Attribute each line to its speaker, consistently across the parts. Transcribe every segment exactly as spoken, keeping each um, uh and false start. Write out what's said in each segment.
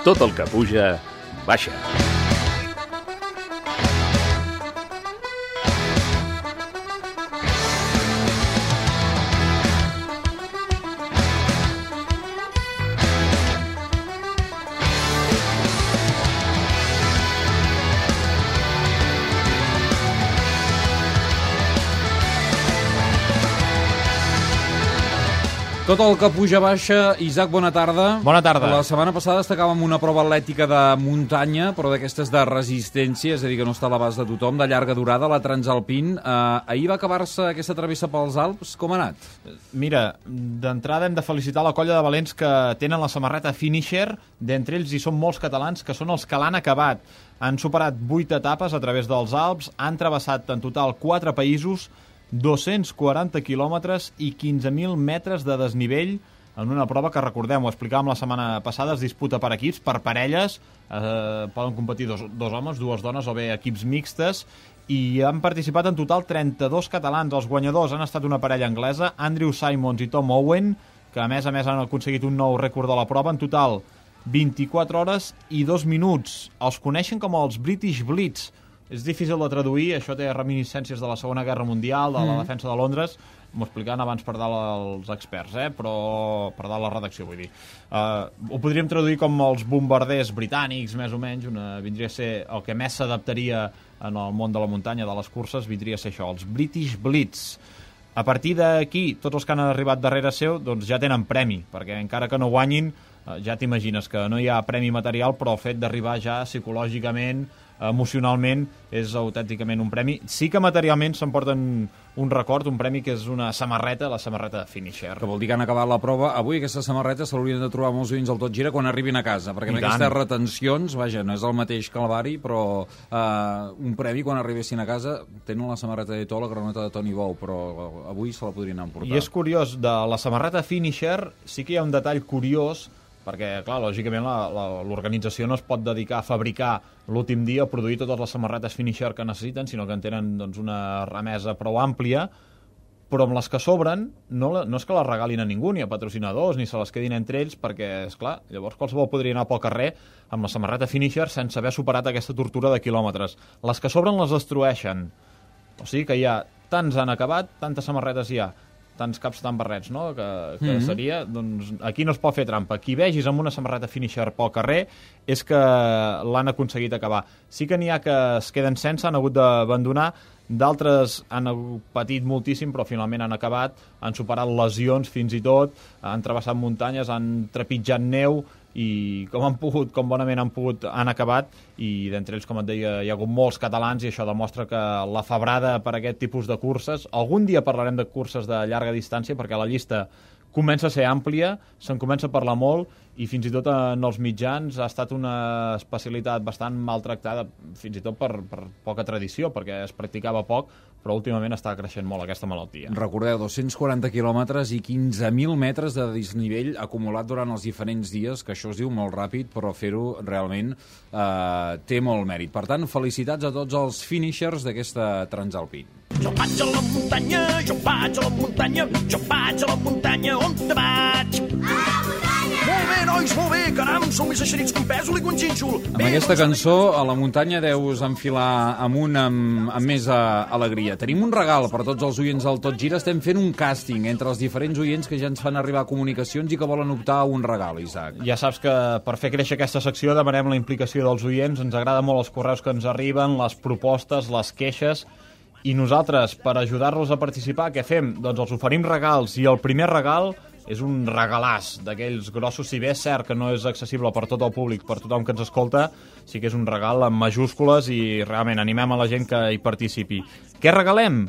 Speaker 1: Tot el que puja, baixa.
Speaker 2: Tot el que puja baixa. Isaac, bona tarda.
Speaker 3: Bona tarda.
Speaker 2: La setmana passada destacàvem una prova atlètica de muntanya, però d'aquestes de resistència, és a dir, que no està a l'abast de tothom, de llarga durada, la Transalpine. Eh, ahir va acabar-se aquesta travessa pels Alps. Com ha anat?
Speaker 3: Mira, d'entrada hem de felicitar la colla de valents que tenen la samarreta Finisher. D'entre ells hi són molts catalans que són els que l'han acabat. Han superat vuit etapes a través dels Alps, han travessat en total quatre països, dos-cents quaranta quilòmetres i quinze mil metres de desnivell en una prova que, recordem, ho explicàvem la setmana passada, es disputa per equips, per parelles, eh, poden competir dos, dos homes, dues dones o bé equips mixtes, i han participat en total trenta-dos catalans. Els guanyadors han estat una parella anglesa, Andrew Simons i Tom Owen, que a més a més han aconseguit un nou rècord de la prova, en total vint-i-quatre hores i dos minuts. Els coneixen com els British Blitz. És difícil de traduir, això té reminiscències de la Segona Guerra Mundial, de la mm. defensa de Londres, m'ho explicaven abans per dalt els experts, eh? Però per dalt la redacció, vull dir. Uh, ho podríem traduir com els bombarders britànics, més o menys, una, vindria a ser el que més s'adaptaria en el món de la muntanya, de les curses, vindria a ser això, els British Blitz. A partir d'aquí, tots els que han arribat darrere seu doncs ja tenen premi, perquè encara que no guanyin, ja t'imagines que no hi ha premi material, però el fet d'arribar ja psicològicament, emocionalment, és autènticament un premi. Sí que materialment s'emporten un record, un premi que és una samarreta, la samarreta Finisher.
Speaker 2: Que vol dir que han acabat la prova. Avui aquesta samarreta se l'haurien de trobar molts oients del Tot Gira quan arribin a casa, perquè amb aquestes retencions, vaja, no és el mateix calvari, però eh, un premi quan arribessin a casa tenen la samarreta de To, la granota de Toni Bou, però avui se la podrien emportar.
Speaker 3: I és curiós, de la samarreta Finisher sí que hi ha un detall curiós, perquè, clar, lògicament l'organització no es pot dedicar a fabricar l'últim dia, a produir totes les samarretes Finisher que necessiten, sinó que en tenen doncs, una remesa prou àmplia, però amb les que sobren no, no és que les regalin a ningú, ni a patrocinadors, ni se les quedin entre ells, perquè, és clar, llavors qualsevol podria anar pel carrer amb la samarreta Finisher sense haver superat aquesta tortura de quilòmetres. Les que sobren les destrueixen. O sigui que hi ha, tants han acabat, tantes samarretes hi ha, tants caps, tan barrets, no?, que, que mm-hmm. seria, doncs aquí no es pot fer trampa. Qui vegis amb una samarreta Finisher pel carrer és que l'han aconseguit acabar. Sí que n'hi ha que es queden sense, han hagut d'abandonar, d'altres han patit moltíssim, però finalment han acabat, han superat lesions fins i tot, han travessat muntanyes, han trepitjat neu, i com han pogut, com bonament han pogut, han acabat, i d'entre ells, com et deia, hi ha hagut molts catalans, i això demostra que la febrada per aquest tipus de curses, algun dia parlarem de curses de llarga distància, perquè la llista comença a ser àmplia, se'n comença a parlar molt, i fins i tot en els mitjans ha estat una especialitat bastant maltractada, fins i tot per, per poca tradició, perquè es practicava poc, però últimament està creixent molt aquesta malaltia.
Speaker 2: Recordeu, dos-cents quaranta quilòmetres i quinze mil metres de desnivell acumulat durant els diferents dies, que això es diu molt ràpid, però fer-ho realment eh, té molt mèrit. Per tant, felicitats a tots els finishers d'aquesta Transalpine.
Speaker 4: Jo vaig a la muntanya, jo vaig a la muntanya, jo vaig a la muntanya, on te vaig? A la muntanya! Molt bé, nois, molt bé, caram, sou més eixerits que un pèsol i que un xínxol.
Speaker 2: Amb bé, aquesta cançó, a la muntanya deus enfilar amunt amb, amb més uh, alegria. Tenim un regal per tots els oients del Tot Gira. Estem fent un càsting entre els diferents oients que ja ens fan arribar comunicacions i que volen optar a un regal, Isaac.
Speaker 3: Ja saps que per fer créixer aquesta secció demanem la implicació dels oients. Ens agrada molt els correus que ens arriben, les propostes, les queixes. I nosaltres, per ajudar-los a participar, què fem? Doncs els oferim regals, i el primer regal és un regalàs d'aquells grossos, si bé és cert que no és accessible per tot el públic, per tothom que ens escolta, sí que és un regal amb majúscules i realment animem a la gent que hi participi. Què regalem?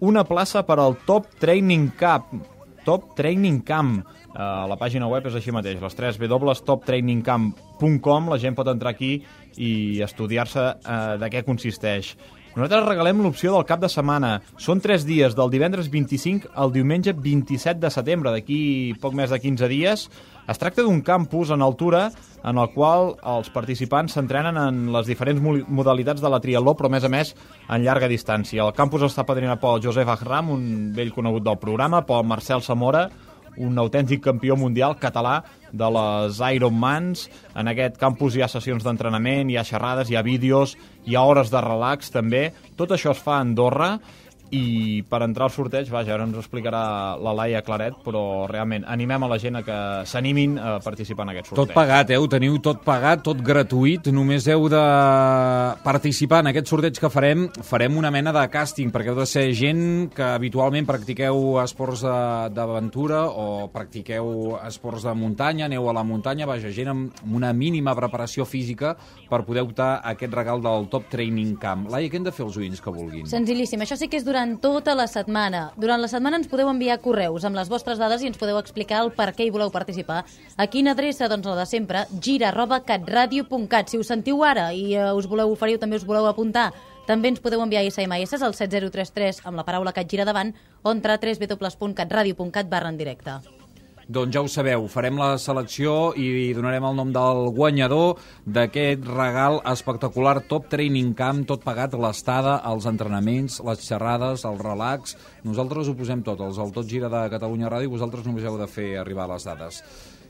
Speaker 3: Una plaça per al Top Training Camp. Top Training Camp. Uh, la pàgina web és així mateix, les tres w punt top training camp punt com. La gent pot entrar aquí i estudiar-se uh, de què consisteix. Nosaltres regalem l'opció del cap de setmana. Són tres dies, del divendres vint-i-cinc al diumenge vint-i-set de setembre, d'aquí poc més de quinze dies. Es tracta d'un campus en altura en el qual els participants s'entrenen en les diferents modalitats de la triatló, però a més a més en llarga distància. El campus està padrinat pel Josep Ahram, un vell conegut del programa, pel Marcel Zamora, un autèntic campió mundial català de les Ironmans. En aquest campus hi ha sessions d'entrenament, hi ha xerrades, hi ha vídeos, hi ha hores de relax també. Tot això es fa a Andorra i per entrar al sorteig, vaja, ara ens ho explicarà la Laia Claret, però realment animem a la gent a que s'animin a participar en aquest sorteig.
Speaker 2: Tot pagat, eh? Ho teniu tot pagat, tot gratuït, només heu de participar en aquest sorteig que farem. Farem una mena de càsting, perquè heu de ser gent que habitualment practiqueu esports d'aventura o practiqueu esports de muntanya, aneu a la muntanya, vaja, gent amb una mínima preparació física per poder optar a aquest regal del Top Training Camp. Laia, què hem de fer els oients que vulguin?
Speaker 5: Senzillíssim, això sí que és durant tota la setmana. Durant la setmana ens podeu enviar correus amb les vostres dades i ens podeu explicar el per què hi voleu participar. A quina adreça? Doncs la de sempre, gira arroba catradio punt cat. Si us sentiu ara i uh, us voleu oferir o també us voleu apuntar, també ens podeu enviar S M S al set zero tres tres amb la paraula CatGira davant o entrar a w w w punt catradio punt cat barra en directe.
Speaker 2: Doncs ja ho sabeu, farem la selecció i donarem el nom del guanyador d'aquest regal espectacular Top Training Camp, tot pagat, l'estada, els entrenaments, les xerrades, el relax. Nosaltres ho posem tot, els el Tot Gira de Catalunya Ràdio, i vosaltres només heu de fer arribar les dades.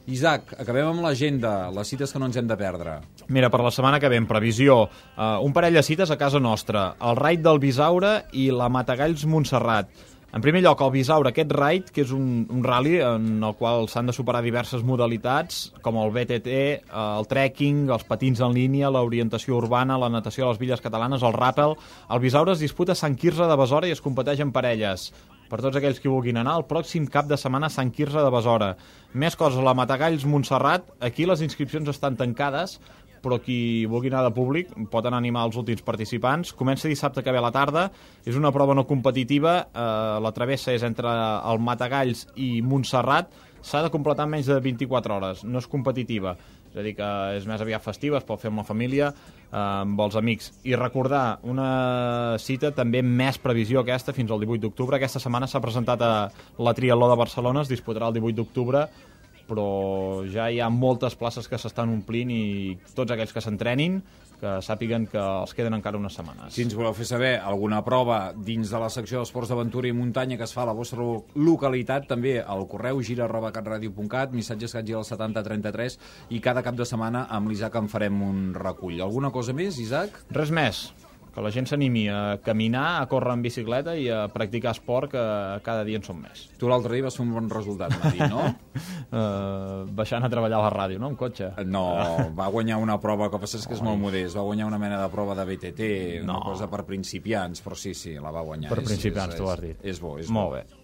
Speaker 2: Isaac, acabem amb l'agenda, les cites que no ens hem de perdre.
Speaker 3: Mira, per la setmana que ve, en previsió, uh, un parell de cites a casa nostra, el Raid del Bisaure i la Matagalls Montserrat. En primer lloc, el Bisaure, aquest raid, que és un, un rally en el qual s'han de superar diverses modalitats, com el B T T, el trekking, els patins en línia, l'orientació urbana, la natació a les Villes Catalanes, el ràpel. El Bisaure es disputa a Sant Quirze de Besora i es competeix en parelles. Per tots aquells que vulguin anar, el pròxim cap de setmana a Sant Quirze de Besora. Més coses, la Matagalls Montserrat, aquí les inscripcions estan tancades, però qui vulgui anar de públic pot anar a animar els últims participants. Comença dissabte que ve a la tarda, és una prova no competitiva, eh, la travessa és entre el Matagalls i Montserrat, s'ha de completar en menys de vint-i-quatre hores, no és competitiva, és a dir que és més aviat festiva, es pot fer amb la família, eh, amb els amics. I recordar una cita també més previsió aquesta fins al divuit d'octubre. Aquesta setmana s'ha presentat a la Triatló de Barcelona, es disputarà el divuit d'octubre, però ja hi ha moltes places que s'estan omplint i tots aquells que s'entrenin que sàpiguen que els queden encara unes setmanes.
Speaker 2: Si ens voleu fer saber alguna prova dins de la secció d'esports d'aventura i muntanya que es fa a la vostra localitat, també al correu gira arroba catradio punt cat, missatges catgira al setanta trenta tres, i cada cap de setmana amb l'Isaac en farem un recull. Alguna cosa més, Isaac?
Speaker 3: Res més. Que la gent s'animi a caminar, a córrer en bicicleta i a practicar esport, que cada dia en som més.
Speaker 2: Tu l'altre dia vas fer un bon resultat, m'ha dit, no?
Speaker 3: uh, baixant a treballar a la ràdio, no? En cotxe.
Speaker 2: No, va guanyar una prova, que passa és que és molt modest, va guanyar una mena de prova de B T T, una
Speaker 3: no.
Speaker 2: cosa per principiants, però sí, sí, la va guanyar.
Speaker 3: Per
Speaker 2: és,
Speaker 3: principiants,
Speaker 2: és,
Speaker 3: tu ho has dit.
Speaker 2: És bo, és
Speaker 3: molt
Speaker 2: bo.
Speaker 3: bé.